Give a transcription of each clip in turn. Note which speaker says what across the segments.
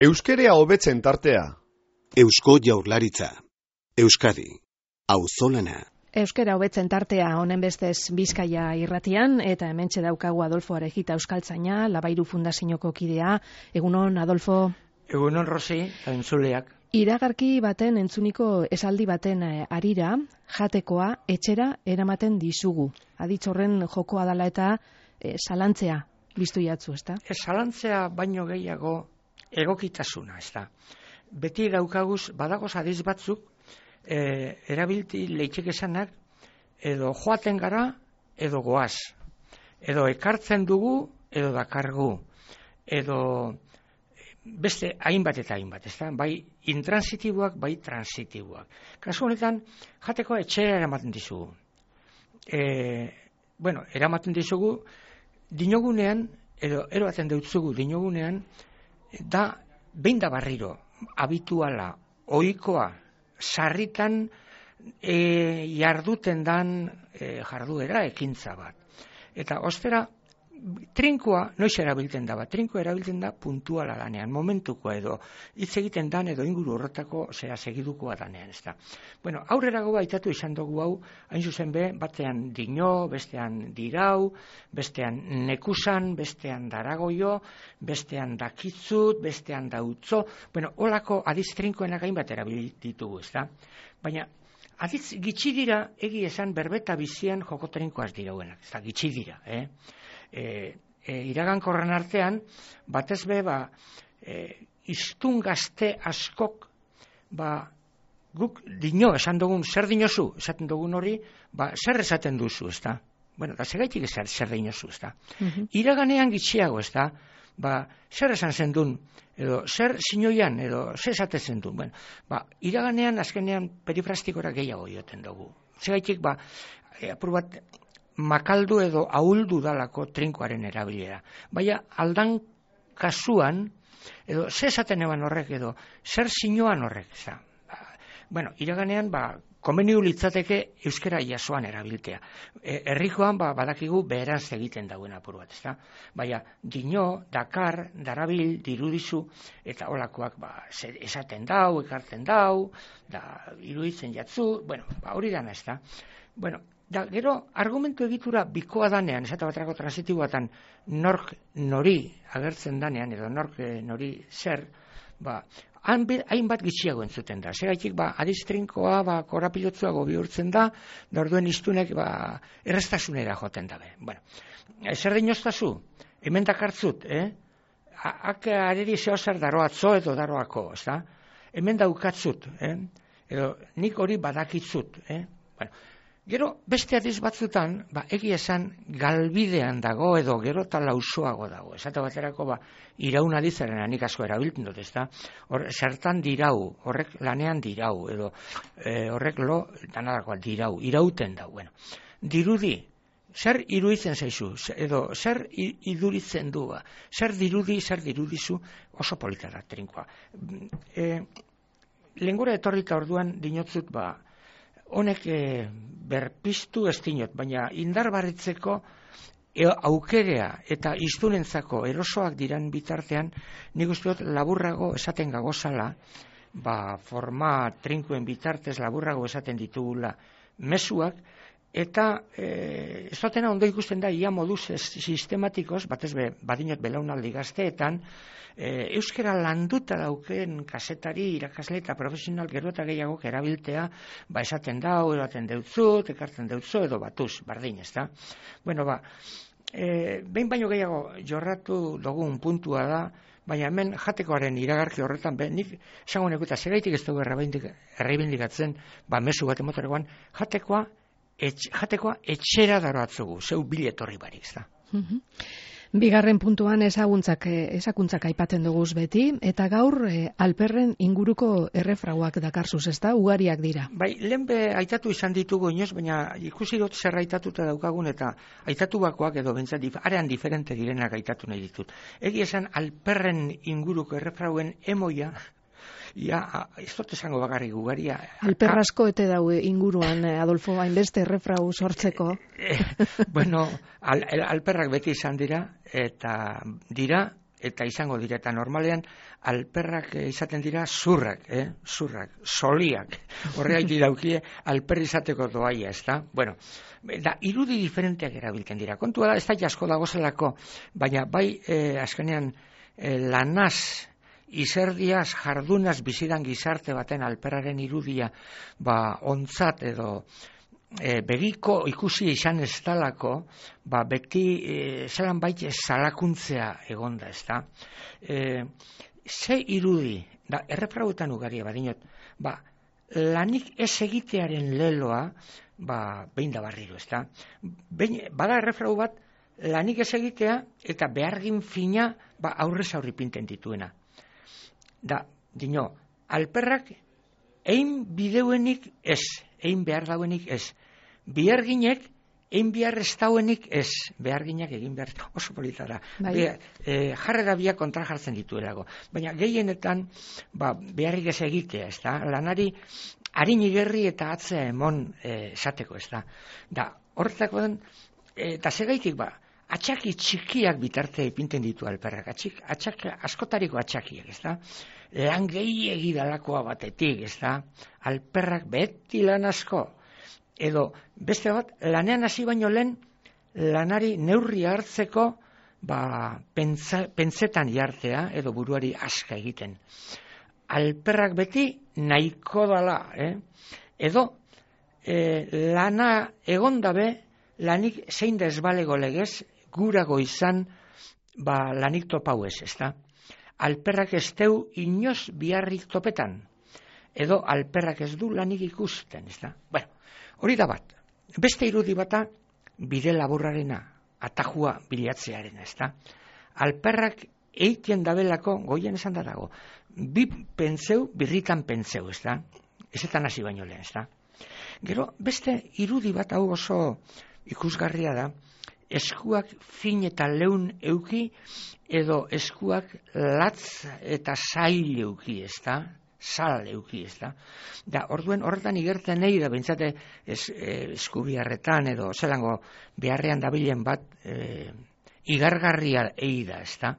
Speaker 1: Euskerea hobetzen tartea.
Speaker 2: Eusko Jaurlaritza. Euskadi. Auzolana.
Speaker 3: Euskera hobetzen tartea honen bestez Bizkaia irratian, eta hementxe daukagu Adolfo Arejita euskaltzaina, Labairu Fundazioko kidea. Egunon, Adolfo.
Speaker 4: Egunon, Rosi, eta entzuleak.
Speaker 3: Iragarki baten entzuniko esaldi baten harira, jatekoa etxera eramaten dizugu. Aditz horren jokoa dala eta salantzea biztu jatzu, ezta?
Speaker 4: Salantzea baino gehiago egokitasuna, ezta. Beti daukaguz, badagoz adiz batzuk, erabilti leitzek esanak, edo joaten gara, edo goaz. Edo ekartzen dugu, edo dakargu. Edo beste hainbat eta hainbat, ezta? Bai intransitiboak, bai transitiboak. Kasu honetan, jatekoa etxera eramaten dizugu. Eramaten dizugu, dinogunean, edo eroaten deutzugu dinogunean, da behin da barriro, habituala, ohikoa, sarritan jarduten dan jarduera ekintza bat. Eta ostera, trinkoa noiz erabiltzen da, trinkoa erabiltzen da puntuala danean, momentukoa edo hitz egiten dan edo inguru horretako segidukoa danean, ezta. Bueno, aurrerago aitatu izan dugu hau, hain zuzen be, batean dino, bestean dirau, bestean nekusan, bestean daragoio, bestean dakitzut, bestean dautzo, holako adiz trinkoenak hainbat erabilitugu, ezta. Baina, adiz gitxi dira, egi esan berbeta bizian joko trinkoaz dirauenak, ezta, gitxi dira, iragankorren artean, batez be, iztun gazte askok, guk dino esan dugun, zer dinozu, esaten dugun hori, zer esaten duzu, ezta? Da segaitik zer dinozu, ezta? Iraganean gitxiago, ezta? Zer esan zen duen, edo zer sinoian, edo zer esaten duen. Iraganean, azkenean, perifrastikora gehiago joten dugu. Segaitik, apur bat, makaldu edo ahuldu dalako trinkoaren erabilera. Baina aldan kasuan, edo zer esaten eban horrek edo, zer sinoan horrek, ezta? Iraganean, komeniu litzateke euskera jasoan erabiltea. Herrikoan, badakigu beheraz egiten dauen apur bat, ezta? Baina, dino, dakar, darabil, dirudizu, eta holakoak esaten dau, ekartzen dau, iruditzen jatzu, hori dana, ezta? Gero, argumentu egitura bikoa danean, esate baterako transitiboatan, nork nori agertzen danean, edo nork nori zer, hainbat gitxiago entzuten da. Segaitik, adiz trinkoa, korapilotzuago bihurtzen da, orduen iztunek, errestasunera joten dabe. Zer dinoztazu? Hemen dakartzut, Hak areri zehozer daroatzo edo daroako, ezta? Hemen daukatzut, edo nik hori badakitzut, Gero, beste adiz batzutan, egia esan galbidean dago edo gero eta lausoago dago. Esate baterako, iraun adizaren nik asko erabiltzen dut, ezta? Zertan dirau, horrek lanean dirau, edo horrek danadakoa dirau, irauten dau. Dirudi, zer iruditzen zaizu, edo zer iduritzen du, zer dirudi, zer dirudizu, oso polita da, trinkoa. Lengura etorrita orduan dinotzut, honek berpiztu ez dinot, baina indarbarritzeko aukerea eta iztunentzako erosoak diran bitartean, nik uste dut laburrago esaten gagozala, forma trinkoen bitartez laburrago esaten ditugula mezuak, eta ez dutena ondo ikusten da, ia moduz sistematikoz, batez badinot belaunaldi gazteetan, euskera landuta dauken kasetari, irakasle eta profesional gero eta gehiago erabiltea, esaten dau, eroaten deutzut, ekartzen deutzu, edo batuz, bardin, ezta? Behin baino gehiago jorratu dugun puntua da, baina hemen jatekoaren iragarki horretan, nik esango nekuta, segaitik ez dugu erreibindikatzen, mezu bat emotorekoan, jatekoa etxera daroatzugu, zeu biletorri barik, ezta?
Speaker 3: Bigarren puntuan ezakuntzak aipatzen duguz beti, eta gaur alperren inguruko errefrauak dakarzuz, ezta? Ugariak dira.
Speaker 4: Lehen aitatu izan ditugu inoz, baina ikusi dut zer aitatuta daukagun, eta aitatu bakoak edo bentsat arean diferente direnak aitatu nahi ditut. Egi esan alperren inguruko errefrauen emoia, ez dut esango bakarrik ugaria.
Speaker 3: Alperrasko ete daue inguruan, Adolfo, hainbeste errefrau sortzeko.
Speaker 4: Alperrak beti izan dira, eta dira, eta izango dira, eta normalean alperrak izaten dira zurrak, soliak, horregatik daukie alper izateko doaia, ezta? Bueno, da, irudi diferenteak erabiltzen dira. Kontua da, ez da jasko dagozelako, baina bai azkenean lanaz, izerdiaz, jardunaz bizidan gizarte baten alperraren irudia ontzat edo begiko ikusi izan ez dalako, beti zelan baita salakuntzea egonda, ez da. Ze irudi, da, erreprauetan ugaria badinot, lanik ez egitearen leloa, behin da barriro, ez da. Bada errefrau bat, lanik ez egitea eta behargin fina aurrez aurri pinten dituena. Da, dino, alperrak ein bideuenik ez, ein behar dauenik ez. Beharginek ein behar ez dauenik ez. Beharginak egin behar, oso polita da. Jarrera biak kontra jartzen dituelago. Baina gehienetan beharrik ez egitea, ez da. Lanari harin igerri eta atzea emon esateko, ez da. Da, horretako den, eta segaitik atxaki txikiak bitarte ipinten ditu alperrak, askotariko atxakiak, ez da? Lan gehiegi dalakoa batetik, ez da? Alperrak beti lan asko, edo beste bat, lanean hasi baino lehen, lanari neurri hartzeko, pentsetan jartzea, edo buruari aska egiten. Alperrak beti nahiko dala, edo lana egondabe, lanik zein da ezbalego legez, gurago izan lanik topau ez, ezta? Alperrak ez deu inoz biharrik topetan, edo alperrak ez du lanik ikusten, ezta? Bueno, hori da bat. Beste irudi bata bide laburrarena, atajua bilatzearena, ezta? Alperrak eitien dabelako, goien esan da dago, birritan pentseu, ezta? Ezetan hasi baino lehen, ezta? Gero, beste irudi bat hau oso ikusgarria da, eskuak fin eta leun euki, edo eskuak latz eta zail euki, ez da? Sal euki, ez da? Da, orduen horretan igertzen nahi da, bentsate eskubiarretan, edo zelango beharrean dabilen bat, igargarria egi da, ez da?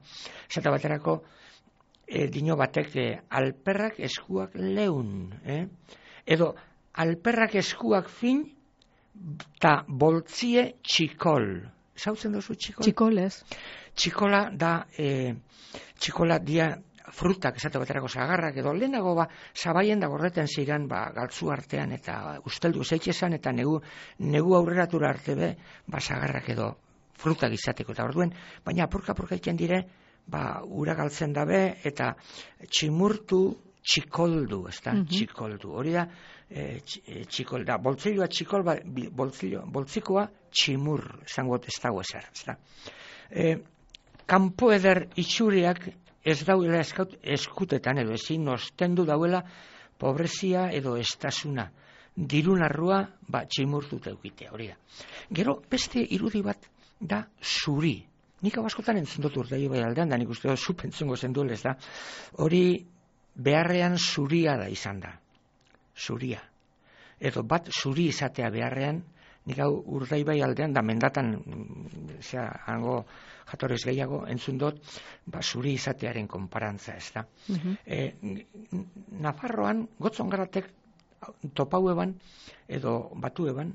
Speaker 4: Zata baterako, dino batek, alperrak eskuak leun, edo alperrak eskuak fin, eta boltzie txikol. Zautzen duzu txikol?
Speaker 3: Txikol ez.
Speaker 4: Txikola da, txikola dia frutak, esate baterako zagarrak, edo lehenago zabaien da gorreten ziren galtzu artean, eta usteldu zeitxezan, eta negu aurreratura arte zagarrak edo frutak izateko, eta orduen, baina apurka iken dire, ura galtzen dabe, eta tximurtu txikoldu, ez da, txikoldu. Hori da, txikol da, boltzilloa txikol, boltzikoa tximur, zango ez dago ezer, ez da. Kanpo eder itxuriak ez dauela eskutetan, edo ezin ostendu dauela pobrezia edo estasuna. Dirunarrua, tximurtut eukitea, hori da. Gero, beste irudi bat da zuri. Nik hau askotan entzun dut urdei bai aldean, da nik uste dut zu pentzungo zenduel, ez da. Hori beharrean zuria da izan da. Zuria. Edo bat zuri izatea beharrean, nik hau urdaibai aldean, da mendatan, hango jatorez gehiago, entzun dut, zuri izatearen konparantza, ez da. Nafarroan, gotzon garatek topau eban, edo batu eban,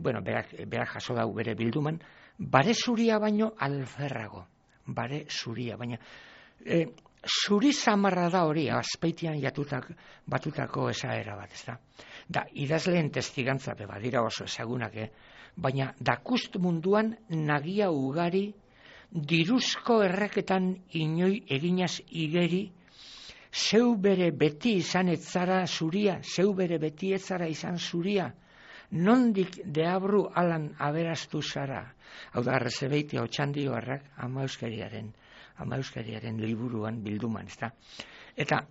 Speaker 4: berak jaso dau bere bilduman, bare zuria baino alferrago. Bare zuria, baina zuri zamarra da hori, azpeitian batutako esaera bat, ez da. Da, idazleen testigantza badira oso ezagunak, baina dakust munduan nagia ugari, diruzko erreketan inoi eginaz igeri, zeu bere beti izan etzara zuria, zeu bere beti etzara izan zuria, nondik deabru alan aberastu zara. Hau da, arrezebeiti hau txandio harrak ama euskariaren liburuan bilduman, ez da. Eta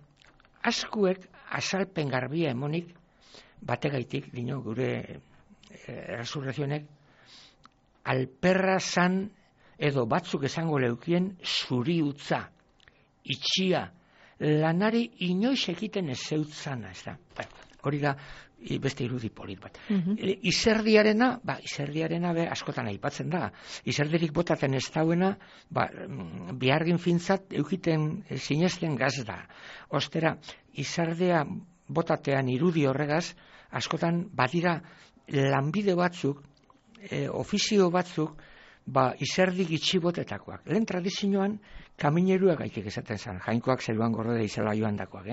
Speaker 4: askuek azalpen garbia emonik, bategaitik, dino, gure resurrezionek, alperra zan edo batzuk esango leukien zuri utza, itxia, lanari inoiz egiten ez zeutzana, ez da. Hori da, beste irudi polit bat. Izerdiarena be askotan aipatzen da. Izerdirik botaten ez dauena, bihargin fintzat eukiten sinesten gaz da. Ostera, izerdea botatean irudi horregaz, askotan badira lanbide batzuk, ofizio batzuk, izerdi gitxibotetakoak. Lehen tradizioan, kamineruak gaitik esaten zen, jainkoak zeruan gorde izela joan dakoak.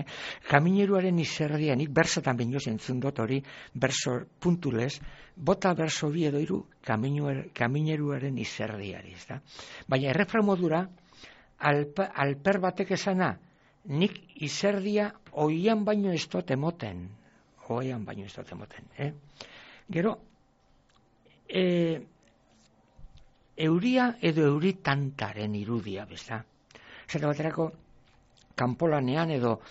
Speaker 4: Kamineruaren izerdianik, bersatan bineo zentzun dut hori, berso puntulez, bota berso bi edo iru, kamineruaren izerdiari. Baina errefra modura, alper batek esana, nik izerdia oian baino ez dut emoten. Gero, euria edo euritantaren irudia, besta. Zeta baterako, kanpolanean edo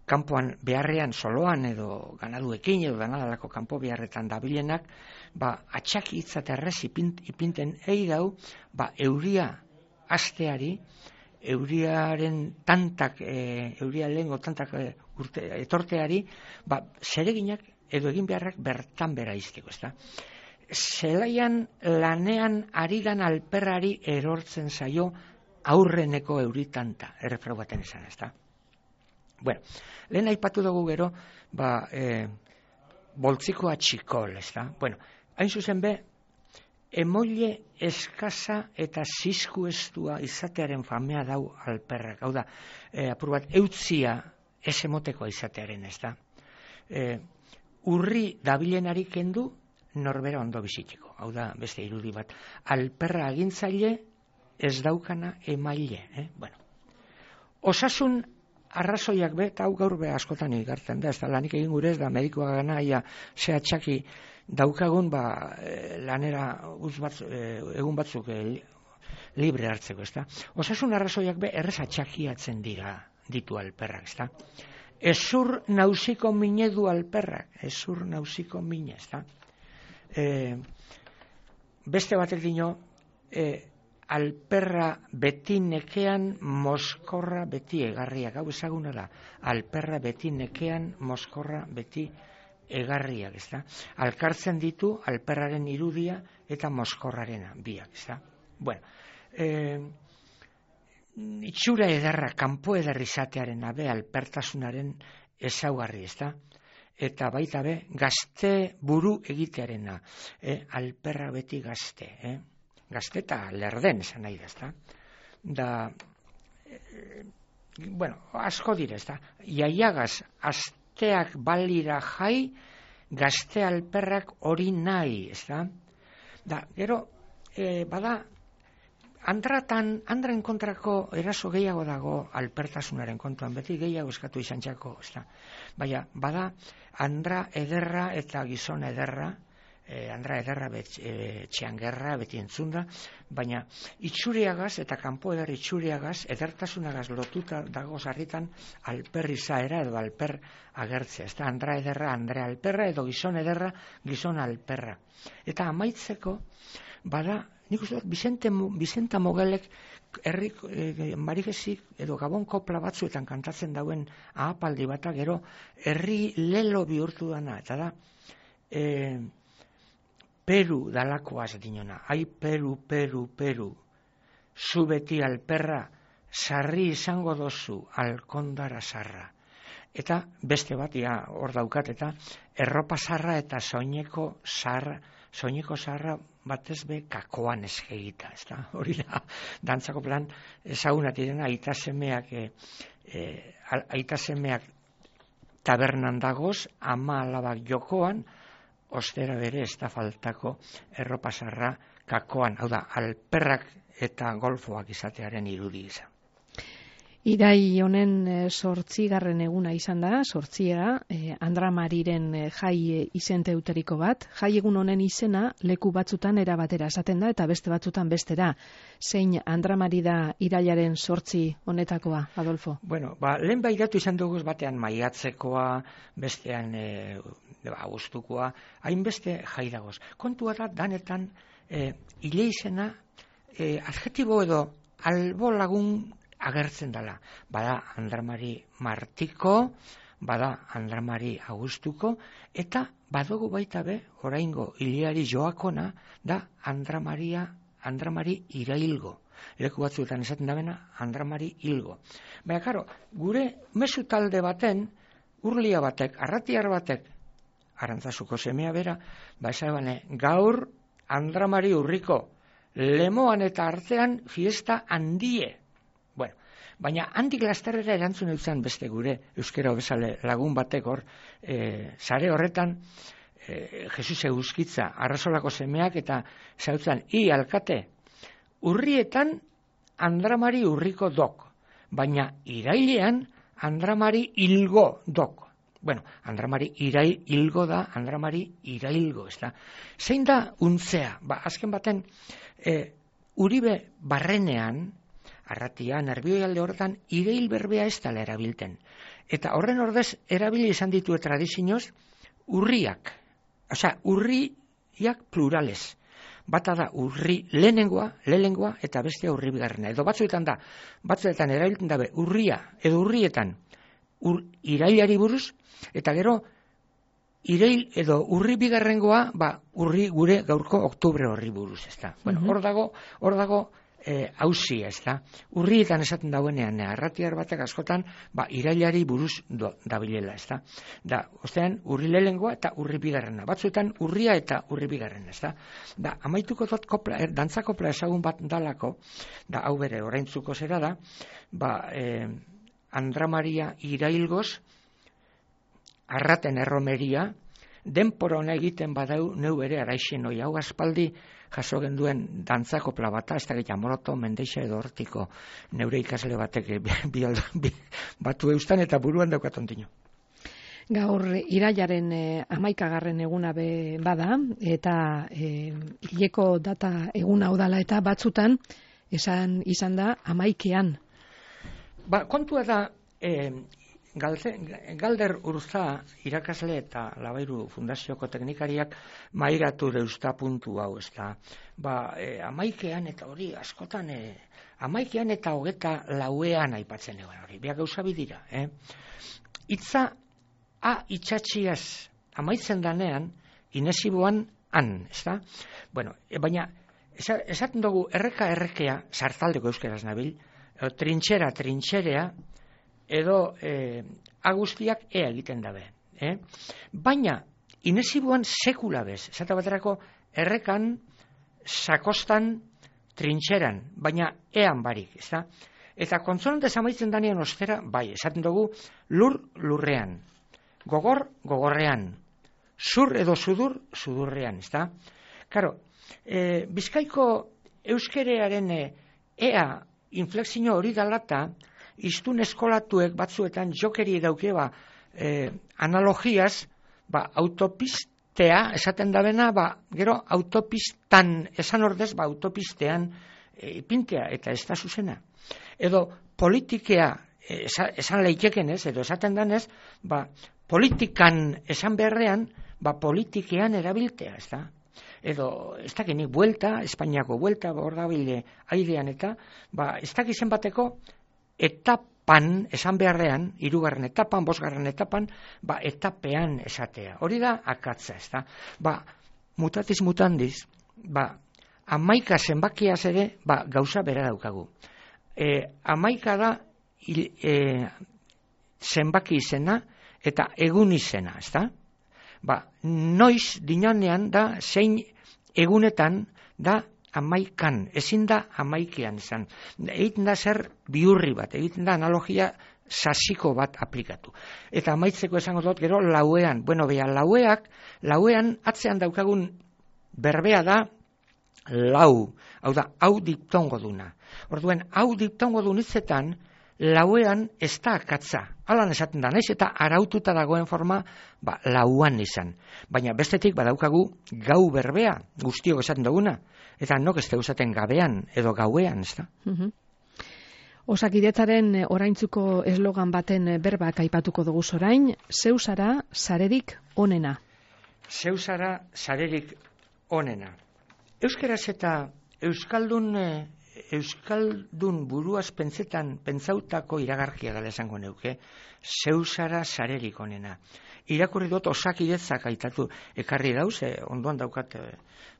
Speaker 4: kanpoan beharrean soloan edo ganaduekin edo ganadalako kanpo beharretan dabilenak, atxaki hitzat errez ipinten dau, euria asteari, euriaren tantak, euria lehengo tantak etorteari, zereginak edo egin beharrak bertan bera izteko, ezta? Zelaian lanean aridan alperrari erortzen zaio aurreneko euritanta, errefrau baten esan, ezta? Bueno, lehen aipatu dugu gero, boltzikoa txikol, ezta? Bueno, hain zuzen be, emoile eskasa eta zizku estua izatearen famea dau alperrak. Hau da, apur bat, eutzia ez emotekoa izatearen, ezta? Urri dabilenari kendu, norbera ondo bizitzeko. Hau da, beste irudi bat. Alperra agintzaile, ez daukana emaile. Bueno. Osasun arrazoiak eta hau gaur be askotan igartzen da, ez da lanik egin gure ez da medikoa gana, zea txaki daukagun, lanera egun batzuk libre hartzeko, ez da. Osasun arrazoiak be errez atxakiatzen ditu alperrak, ez da. Ezur nausiko mine du alperrak, ezur nausiko mine, ez da. Beste batek dino, alperra beti nekean, moskorra beti egarriak. Hau ezaguna da, alperra beti nekean, moskorra beti egarriak, ez da. Alkartzen ditu alperraren irudia eta moskorrarena biak, ez da. Bueno, itxura ederra, kanpo eder izatearen abe alpertasunaren ezaugarri, ez da. Eta baita be, gazte buru egitearena, alperra beti gazte, gazte eta lerden esan nahi da, ezta? Bueno, asko dire, ezta? Iaiagaz, asteak balira jai, gazte alperrak hori nahi, ezta? Gero, bada, Andraen kontrako eraso gehiago dago alpertasunaren kontuan, beti gehiago eskatu izan txako, ezta? Baina, bada, andra ederra eta gizon ederra, andra ederra txean gerra, beti entzunda, baina itxuriagaz eta kanpo eder itxuriagaz, edertasunagaz lotuta dago sarritan alper izaera edo alper agertzea, ezta? Andra ederra, andre alperra edo gizon ederra, gizon alperra. Eta amaitzeko, bada, nik uste dut, Bizenta Mogelek marigesik edo gabon kopla batzuetan kantatzen dauen ahapaldi bata, gero herri lelo bihurtu dana, eta da, Peru dalakoaz dinona, ai Peru, Peru, Peru, zu beti alperra, sarri izango dozu, alkondara sarra. Eta beste bat, hor daukat, eta erropa sarra eta soineko sarra batez be kakoan esgegita, ez da? Hori da, dantzako plan ezagunat direna, aita semeak tabernan dagoz, ama alabak jokoan, ostera bere ez da faltako erropasarra kakoan, hau da, alperrak eta golfoak izatearen irudi izan.
Speaker 3: Irai honen 8. eguna izan da, 8. Andra Mariren jai izenteuteriko bat. Jai egun honen izena leku batzutan era batera esaten da eta beste batzutan bestera. Zein Andra Mari da irailaren 8 honetakoa, Adolfo?
Speaker 4: Bueno, lehen bairatu izan dugu batean maiatzekoa, bestean abuztukoa, hainbeste jai dagoz. Kontua da, danetan, ile izena, adjetibo edo albo lagun agertzen dela. Bada, Andra Mari Martiko, bada Andramari Augustuko, eta badugu baita be, oraingo Iliari Joakona, da Andramari Irailgo. Leku batzuetan esaten dabena, Andramari Hilgo. Baina, karo, gure mezu talde baten, Urlia batek, Arratiar batek, Arantzazuko semea bera, esabane, gaur Andramari Urriko, Lemoan eta artean fiesta handie. Bueno, baina handik lasterrera erantzun eutzen beste gure euskera bezale lagun batek hor, sare horretan, Jesus Euskitza, Arrasolako semeak eta zautzen, alkate, urrietan Andramari Urriko dok, baina irailean Andramari Hilgo dok. Bueno, Andramari Hilgo da, Andramari Irailgo, ez da. Zein da untzea? Azken baten, Uribe barrenean, Arratian, Nerbioi horretan, irail berbea ez dela erabilten. Eta horren ordez, erabili izan ditu tradizioz, urriak. Osea, urriak plurales. Bata da urri lehenengoa eta bestea urri bigarrena. Edo batzuetan erabiltzen dabe urria edo urrietan irailari buruz, eta gero irail edo urri bigarrengoa urri gure gaurko oktubre horri buruz, ezta. Bueno, hor dago hauzia, ezta. Urrietan esaten dauenean, Arratiar batek askotan, irailari buruz dabilela, ezta. Da, ostean, urri lehenengoa eta urri bigarrena. Batzuetan, urria eta urri bigarrena, ezta. Da, amaituko dut dantza kopla ezagun bat dalako, da, hau bere, oraintzuko zera da, Andramaria Irailgoz, Arraten erromeria, denpora hona egiten badau neu ere araixen hoi, hau aspaldi jaso genduen dantzakopla bata, ez da gehiago Moroto, Mendeixa edo Hortiko neure ikasle batek batu eustan eta buruan daukatontino.
Speaker 3: Gaur irailaren 11. eguna bada, eta hileko data eguna udala eta batzutan izan da 11.
Speaker 4: Kontua da, Galder Urza irakasle eta Labairu Fundazioko teknikariak mairatu deusta puntu hau, ez da. 11 eta hori askotan, 11 eta 24 aipatzen egon hori, biak gauza bidira. Itza itxatxiaz amaitzen danean, inesiboan ez da. Bueno, baina, esaten dugu errekea, sartaldeko euskeraz nabil, trintxerea, edo agustiak egiten dabe. Baina, inesibuan sekula bez, esate baterako errekan, sakostan, trintxeran, baina ean barik, ez da? Eta kontsonantez amaitzen danean ostera, esaten dugu, lurrean, gogorrean, zur edo sudurrean, ez da? Karo, Bizkaiko euskerearen ea inflexio hori dalata, iztun eskolatuek batzuetan jokeri dauke analogiaz, autopistea esaten dabena, gero autopistan esan ordez, autopistean ipintea eta ez da zuzena. Edo politikea esan leikeken ez, edo esaten danez, politikan esan beharrean, politikean erabiltea, ez da. Edo, ez dakinik, Espainiako buelta, hor gabile airean eta, ez dakizen bateko, etapan esan beharrean, 3. etapan, 5. etapan, etapean esatea. Hori da akatza, ez da. Mutatis mutandis, 11 zenbakiaz ere, gauza bera daukagu. 11 da zenbaki izena eta egun izena, ez da. Noiz dinanean da zein egunetan da 11, ezin da 11 izan. Egiten da zer bihurri bat, egiten da analogia sasiko bat aplikatu. Eta amaitzeko esango dut gero lauean. Bueno, lauean atzean daukagun berbea da lau. Hau da, hau diptongo duna. Orduen, hau diptongo dunitzetan lauean ez da akatza. Alan esaten da, naiz eta araututa dagoen forma, lauan izan. Baina bestetik badaukagu gau berbea, guztiok esaten duguna. Eta nok ez esaten gabean edo gauean, ez da?
Speaker 3: Osakidetzaren oraintzuko eslogan baten berbak aipatuko dugu orain, zeu zara sarerik onena.
Speaker 4: Zeu zara sarerik onena. Euskeraz eta euskaldun Euskaldun buruaz pentsautako iragarkia dela esango neuke, zeusara sarerik onena. Irakurri dut Osakidetzak aitatu ekarri dauz, ondoan daukat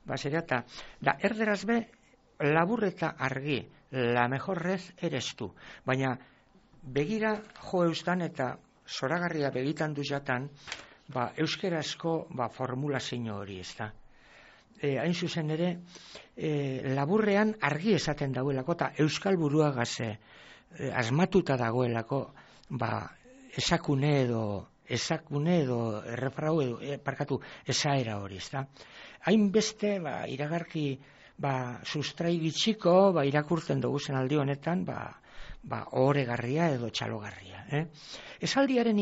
Speaker 4: basera, eta da erderaz be, labur eta argi, la mejor red eres tu. Baina begira jo eustan eta zoragarria begitan du jatan, euskerazko formulazio hori, ez da. Hain zuzen ere, laburrean argi esaten dauelako, eta euskal buruagaz asmatuta dagoelako, esakune edo errefrau edo, esaera hori, ez da. Hainbeste, iragarki, sustrai bitxiko, irakurtzen dugu zen aldi honetan, ohoregarria edo txalogarria. Esaldiari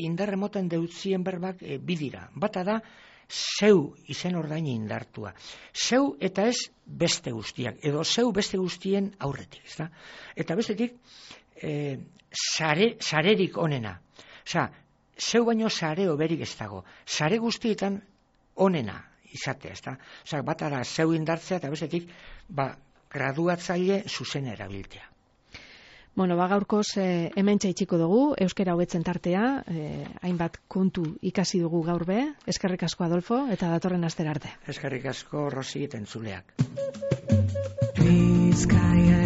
Speaker 4: indar emoten deutzien berbak bidira. Bata da, zeu izen ordaini indartua. Zeu eta ez beste guztiak, edo zeu beste guztien aurretik. Ezta? Eta bestetik, sarerik onena. Osea, zeu baino sare oberik ez dago. Sare guztietan onena izatea. Ezta? Osea, bata da zeu indartzea eta bestetik, graduatzaile zuzen erabiltzea.
Speaker 3: Bueno, gaurkoz hemen txaitxiko dugu, euskera hobetzen tartea, hainbat kontu ikasi dugu gaur be, eskerrik asko Adolfo, eta datorren astera arte.
Speaker 4: Eskerrik asko Rosi eta entzuleak.
Speaker 5: Bizkaia